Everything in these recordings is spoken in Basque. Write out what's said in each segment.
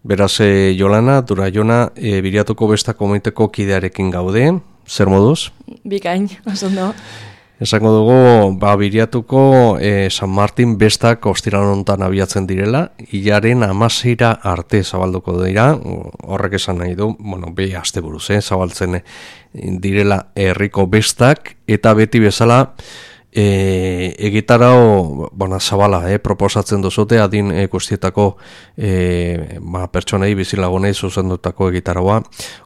Beraz, Jolana, Duraiona, Biriatuko Besta komiteko kidearekin gaude, zer moduz? Bikain, oso ondo. Esango dugu, Biriatuko San Martin bestak ostiral honetan abiatzen direla, hilaren 16 arte zabalduko dira, horrek esan nahi du, bi asteburuz, zabaltzen direla herriko bestak, eta beti bezala, egitarau zabala proposatzen duzute adin guztietako pertsonei bizilagunei zuzendutako egitaraua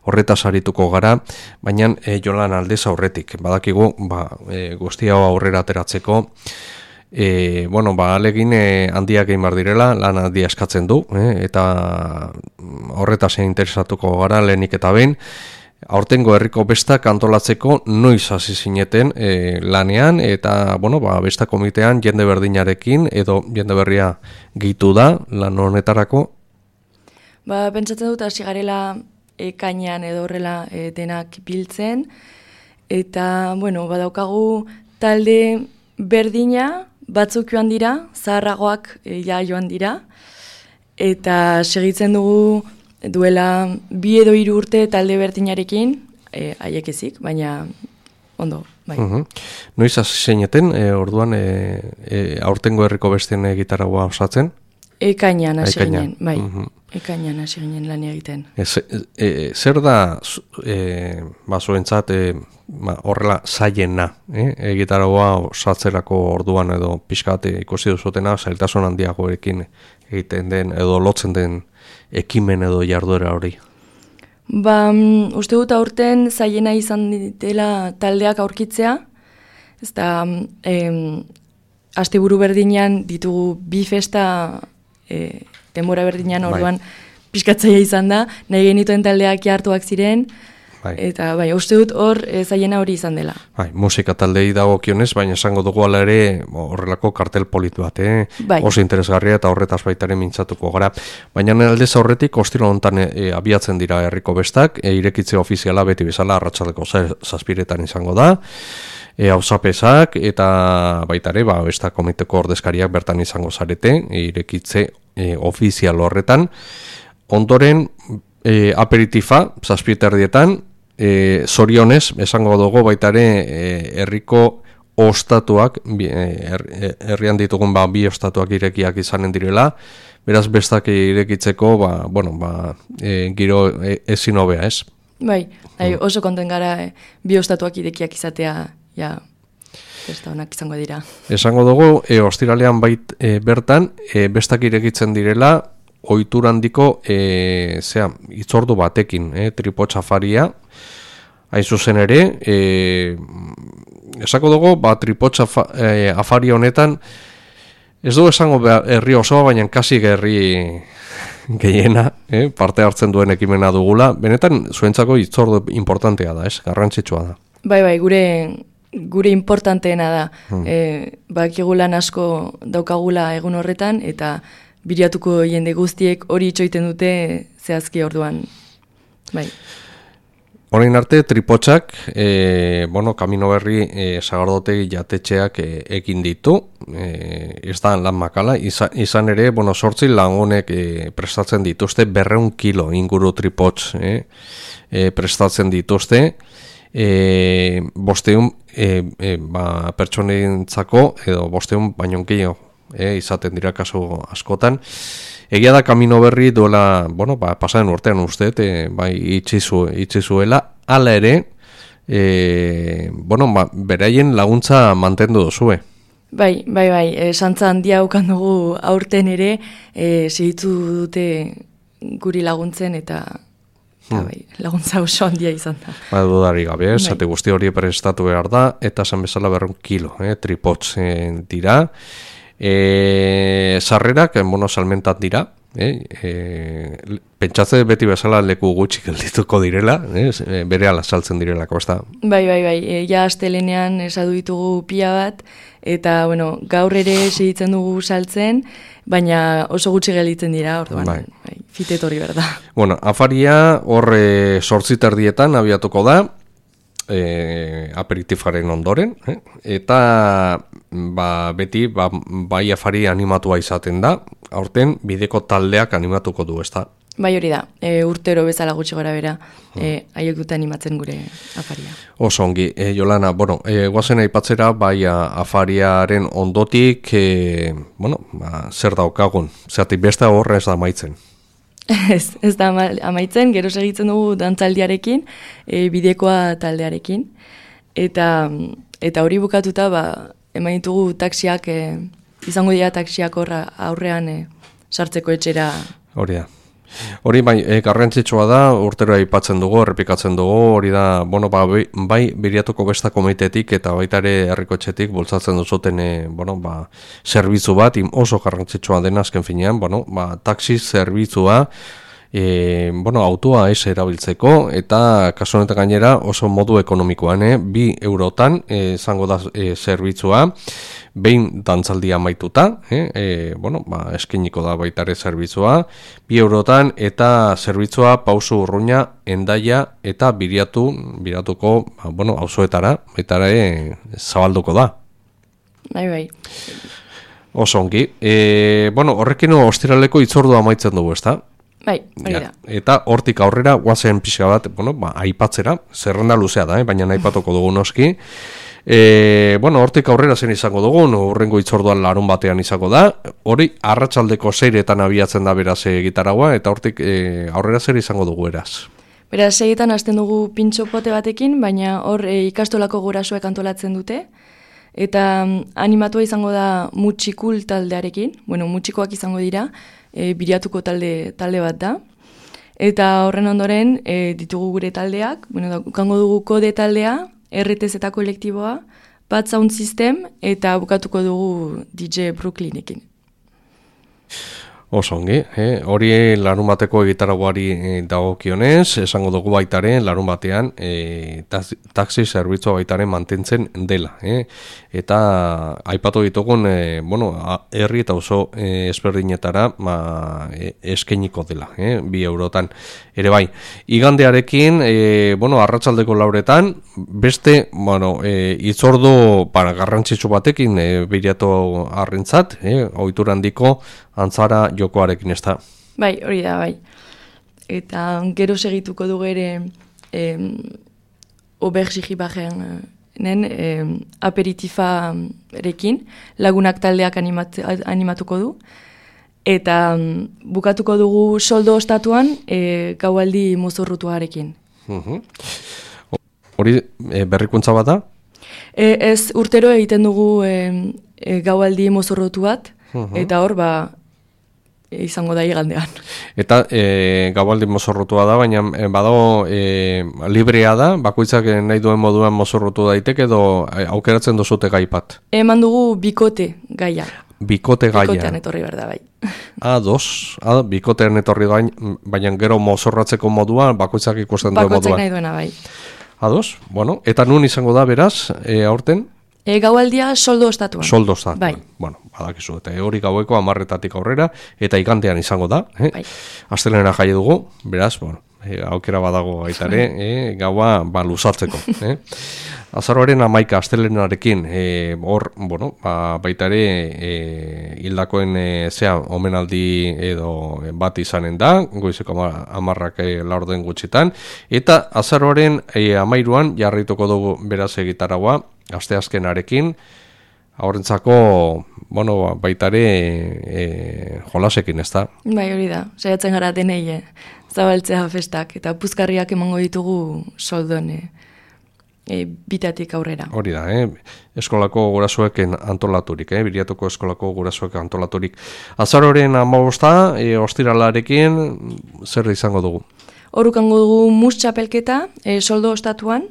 horretaz arituko gara, baina Jolan aldez aurretik badakigu guztia aurrera ateratzeko alegin handiak egin bar direla, lan handia eskatzen du eta horretaz interesatuko gara lehenik eta behin. Aurtengo herriko bestak antolatzeko noiz hasi zineten lanean eta besta komitean jende berdinarekin edo jende berria gehitu da lan honetarako? Pentsatzen dut hasi garela ekainean edo horrela denak biltzen eta badaukagu talde berdina batzuk joan dira, zaharragoak joan dira eta segitzen dugu duela 2 edo 3 urte talde berdinarekin, haiek ezik, baina ondo, bai. Noiz hasi zineten, orduan aurtengo herriko besten gitarragoa osatzen? Ekainean hasi ginen, bai. Ekainean hasi ginen lan egiten. Zer da zuentzat horrela zaiena, gitarragoa osatzerako orduan edo pixkat ikusi duzutena, zailtasun handiagoekin egiten den edo lotzen den ekimen edo jarduera hori? Uste dut aurten zaiena izan dela taldeak aurkitzea, ez da, asteburu berdinean ditugu 2 festa denbora berdinean orduan pixkatzaia izan da, nahi genituen taldeak hartuak ziren, eta uste dut hor zaiena hori izan dela. Musika taldei dagokionez, baina esango dugu ala ere horrelako kartel polit bat, oso interesgarria eta horretaz baitaren mintzatuko gara. Baina aldez aurretik ostilo honetan abiatzen dira herriko bestak, irekitze ofiziala beti bezala arratsaldeko 7:00 izango da, auzapesak eta baitare besta komiteko ordezkariak bertan izango zarete, irekitze ofizial horretan. Ondoren aperitifa 7:30 zorionez, esango dugu baitare herriko ostatuak, herrian ditugun 2 ostatuak irekiak izanen direla, beraz bestak irekitzeko giro ezin hobea, ez? Oso konten gara 2 ostatuak irekiak izatea, festa honak izango dira. Esango dugu, ostiralean bertan, bestak irekitzen direla, ohitura handiko itzordu batekin, tripotxafaria, hain zuzen ere, esako dugu, tripotxa afaria honetan, ez dugu esango herri osoa, baina kasi herri gehiena, parte hartzen duen ekimena dugula, benetan zuentzako itzordu importantea da, garrantzitsua da. Gure importanteena da, bakigulan asko daukagula egun horretan, eta Biriatuko jende guztiek hori itxoiten dute zehazki orduan. Orain arte, tripotxak, Kamino Berri sagardotegi jatetxeak egin ditu, ez da lan makala, izan ere, 8 lagunek prestatzen dituzte 200 kilo inguru tripotx prestatzen dituzte, 500 pertsonentzako edo 500 baino gehiago izaten dira kasu askotan. Egia da Kamino Berri duela, pasaren urtean uste, itxi zuela, hala ere, beraien laguntza mantendu duzue. Bai, santza handia ukan dugu aurten ere, segitu dute guri laguntzen eta laguntza oso handia izan da. Dudari gabe, zate guzti hori prestatu behar da, eta esan bezala 200 kilo, tripotx dira. Sarrerak, salmentat dira, pentsatze beti bezala leku gutxi geldituko direla, berehala saltzen direlako, ez da? Bai, ja astelenean esadu ditugu pila bat, eta gaur ere segitzen dugu saltzen, baina oso gutxi gelditzen dira, orduan, fitetori berda. Afaria hor 8:30 abiatuko da, aperitifaren ondoren, eta beti bai afari animatua izaten da, aurten bideko taldeak animatuko du, ez da? Bai, hori da, urtero bezala gutxi gora bera, haiek dute animatzen gure afaria. Oso ongi, Jolana, guazen aipatzera, bai afariaren ondotik, zer daukagun, zertik beste horra ez da amaitzen. Ez da amaitzen, gero segitzen dugu dantzaldiarekin, bidekoa taldearekin, eta hori bukatuta, eman ditugu taksiak, izango dira taksiak horra aurrean sartzeko etxera. Hori da. Hori garrantzitsua da, urtero aipatzen dugu, errepikatzen dugu, hori da, bai Biriatuko Gesta Komitetik eta baita ere herriko etxetik bultzatzen duzuten, zerbitzu bat, oso garrantzitsua dena azken finean, taxi zerbitzua, autoa ez erabiltzeko, eta kasu honetan gainera oso modu ekonomikoan, 2 eurotan izango da zerbitzua, behin dantzaldia amaituta, eskeniko da baita ere zerbitzua, 2 eurotan eta zerbitzua Pausu Urruña, Hendaia eta Biratuko auzoetara, baita ere zabalduko da. Bai. Oso ongi. Horrekin ostiraleko hitzordua amaitzen dugu, ezta? Bai, hori da. Eta hortik aurrera guazen pixka bat, aipatzera, zerrenda luzea da, baina aipatuko dugu noski. Hortik aurrera zen izango dugun, urrengo hitzorduan larun batean izango da, hori arratsaldeko 6etan abiatzen da beraz gitaragua, eta hortik aurrera zer izango dugu eraz. Beraz, 6etan hasten dugu pintxopote batekin, baina hor ikastolako gurasoek antolatzen dute, eta animatua izango da Mutxikul taldearekin, mutxikoak izango dira, Biriatuko talde bat da, eta horren ondoren ditugu gure taldeak, kango dugu Kode taldea, RTS eta kolektiboa, Bad Sound System, eta bukatuko dugu DJ Brooklynekin. Oso ongi, hori larun bateko egitaragoari dagokionez, esango dugu baitaren larun batean taxi zerbitzua baitaren mantentzen dela. Eta aipatu ditugun, herri eta oso ezberdinetara eskeniko dela, 2 eurotan. Ere bai, igandearekin, arratsaldeko 4etan, beste, hitzordu garrantzitsu batekin Biriatu arrentzat, ohitura handiko antzara jokoarekin ez da. Bai, hori da, bai. Eta gero segituko dugu ere Obergixibajenen aperitifarekin, lagunak taldeak animatuko du. Eta bukatuko dugu soldo ostatuan gaualdi mozorrotuarekin. Hori berrikuntza bat da? Ez urtero egiten dugu gaualdi mozorrotu bat, eta hor izango da igandean. Eta gaualdi mozorrotua da, baina badago librea da, bakoitzak nahi duen moduan mozorrotu daiteke edo aukeratzen duzute gai bat? Eman dugu bikote gaia. Bikote gaia. Bikotean etorri behar da, bai. Bikotean etorri baina gero mozorratzeko moduan, bakoitzak ikusten duen moduan. Bakoitzak nahi duena, bai. Eta nun izango da beraz, aurten? Gaualdia soldo ostatuan. Soldo ostatuan. Bai. Badakizu, eta hori gaueko 10:00 aurrera, eta igandean izango da. Bai. Astelena jai dugu, beraz, aukera badago baitare, gaua luzatzeko. Azaroaren 11 astelenarekin, hor, baitare hildakoen omenaldi edo bat izanen da, goizeko 10:00 laurden gutxitan, eta azaroaren 13an jarrituko dugu beraz gitaragua, asteazkenarekin, aurrentzako, baitare jolasekin, ez da? Bai, hori da, saiatzen gara denei zabaltzea festak, eta puzkarriak emango ditugu soldon bitatik aurrera. Hori da, eskolako gurasoek antolaturik, Biriatuko eskolako gurasoek antolaturik. Azaroren 15, ostiralarekin, zer izango dugu? Horrukango dugu mus txapelketa, soldo ostatuan,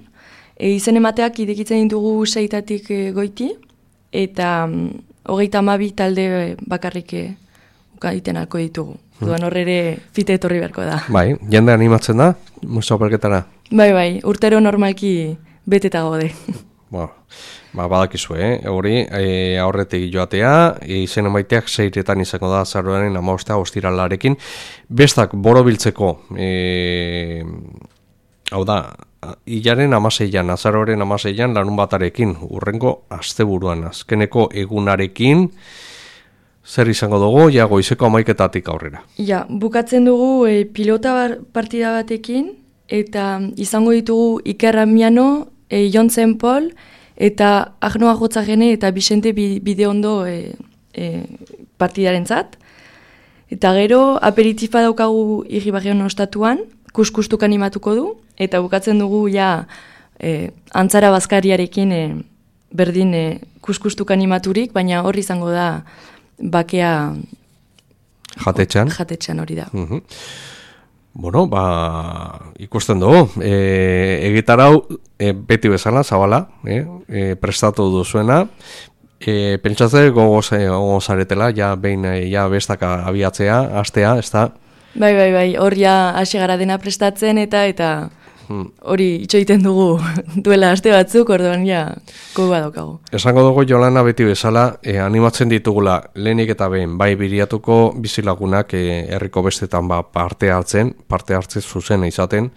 izen emateak idekitzen ditugu 6tatik goiti, eta 32 talde bakarrik ukaiten alko ditugu. Duan horrere fite etorri beharko da. Bai, jende animatzen da, mus txapelketara? Bai, urtero normalki beteta gode. Badakizu, hori aurretik joatea, izen emaiteak 6etan izango da azaroaren 15 ostiralarekin, bestak borobiltzeko, hau da, hilaren 16an, azaroaren 16an larun batarekin, urrengo asteburuan, azkeneko egunarekin, zer izango dugu, ja goizeko 11:00 aurrera. Ja, bukatzen dugu pilota partida batekin, eta izango ditugu Iker Amiano, Jon Zenpol, eta Agnoa Gotzagene eta Vicente Bideondo partidarentzat. Eta gero, aperitifa daukagu Irribarren ostatuan, kuskustuk animatuko du, eta bukatzen dugu ja Antzara Bazkariarekin berdin kuskustuk animaturik, baina hor izango da bakea jatetxean hori da. Bueno, ikusten dugu, egitarau beti bezala, zabala, prestatu duzuena, pentsatze gogozaretela, ja behin bestaka abiatzea, astea, ez da? Bai, hor ja hasi gara dena prestatzen eta hori itxoiten dugu duela aste batzuk, orduan ja gogoa daukagu. Esango dugu Jolana beti bezala, animatzen ditugula lehenik eta behin, bai Biriatuko bizilagunak herriko bestetan parte hartze zuzena izaten,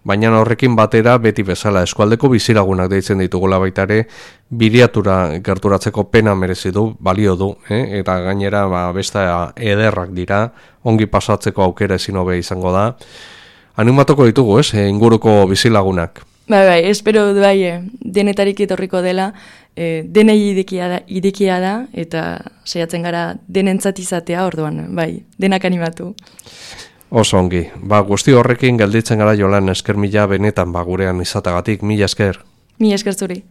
baina horrekin batera beti bezala eskualdeko bizilagunak deitzen ditugula baita ere, Biriatura gerturatzeko pena merezi du, balio du, eta gainera beste ederrak dira, ongi pasatzeko aukera ezin hobe izango da. Animatuko ditugu, inguruko bizilagunak. Bai, espero denetarik etorriko dela, denei irekia da, eta saiatzen gara denentzat izatea, orduan, bai, denak animatu. Oso ongi, guzti horrekin gelditzen gara Jolan, esker mila benetan gurean izatagatik, mila esker. Mila esker zuri.